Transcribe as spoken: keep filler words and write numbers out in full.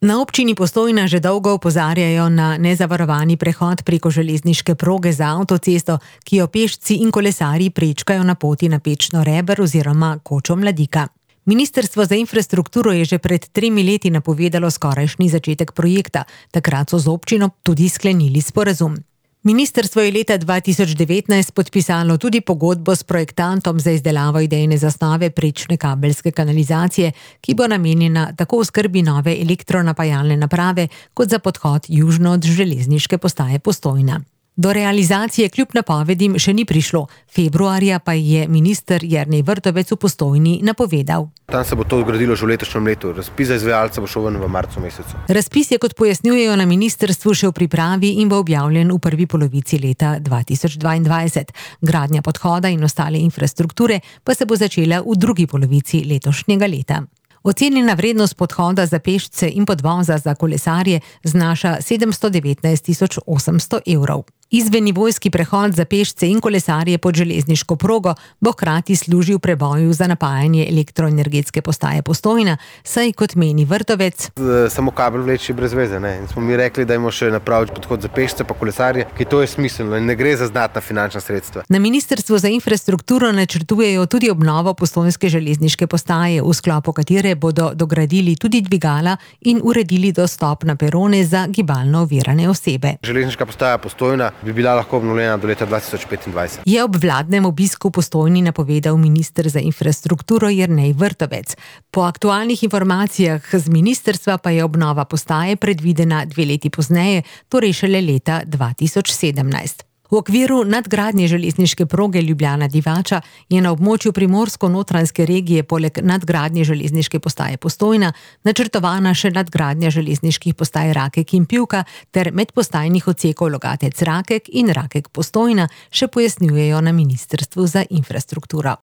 Na občini Postojna že dolgo opozarjajo na nezavarovani prehod preko železniške proge za avtocesto, ki jo pešci in kolesarji prečkajo na poti na Pečno Reber oziroma Kočo Mladika. Ministrstvo za infrastrukturo je že pred tremi leti napovedalo skorajšnji začetek projekta, takrat so z občino tudi sklenili sporazum. Ministrstvo je leta dva tisoč devetnajst podpisalo tudi pogodbo s projektantom za izdelavo idejne zasnove prečne kabelske kanalizacije, ki bo namenjena tako oskrbi nove elektronapajalne naprave kot za podhod južno od železniške postaje Postojna. Do realizacije kljub napovedim še ni prišlo, februarja pa je minister Jernej Vrtovec v Postojni napovedal. Tam se bo to zgradilo že v letošnjem letu. Razpis za izvajalca bo šel ven v marcu mesecu. Razpis je, kot pojasnjujejo na ministrstvu, še v pripravi in bo objavljen v prvi polovici leta dva tisoč dvaindvajset. Gradnja podhoda in ostale infrastrukture pa se bo začela v drugi polovici letošnjega leta. Ocenjena vrednost podhoda za pešce in podvoza za kolesarje znaša sedemsto devetnajst tisoč osemsto evrov. Izvennivojski prehod za pešce in kolesarje pod železniško progo bo hkrati služil preboju za napajanje elektroenergetske postaje Postojna, saj, kot meni Vrtovec, samo kabel vleči brez veze, ne? In smo mi rekli, da imamo še napraviti podhod za pešce pa kolesarje, ki to je smiselno in ne gre za znatna finančna sredstva. Na ministrstvu za infrastrukturo načrtujejo tudi obnovo postojnske železniške postaje, v sklopu katere bodo dogradili tudi dvigala in uredili dostop na perone za gibalno ovirane osebe. Železniška postaja Postojna bi bila lahko obnovljena do leta dva tisoč petindvajset. Je ob vladnem obisku v Postojni napovedal minister za infrastrukturo Jernej Vrtovec. Po aktualnih informacijah z ministrstva pa je obnova postaje predvidena dve leti pozneje, torej šele leta dva tisoč sedemnajst. V okviru nadgradnje železniške proge Ljubljana-Divača je na območju primorsko-notranjske regije poleg nadgradnje železniške postaje Postojna načrtovana še nadgradnja železniških postaj Rakek in Pivka ter medpostajnih odsekov Logatec-Rakek in Rakek-Postojna, še pojasnjujejo na ministrstvu za infrastrukturo.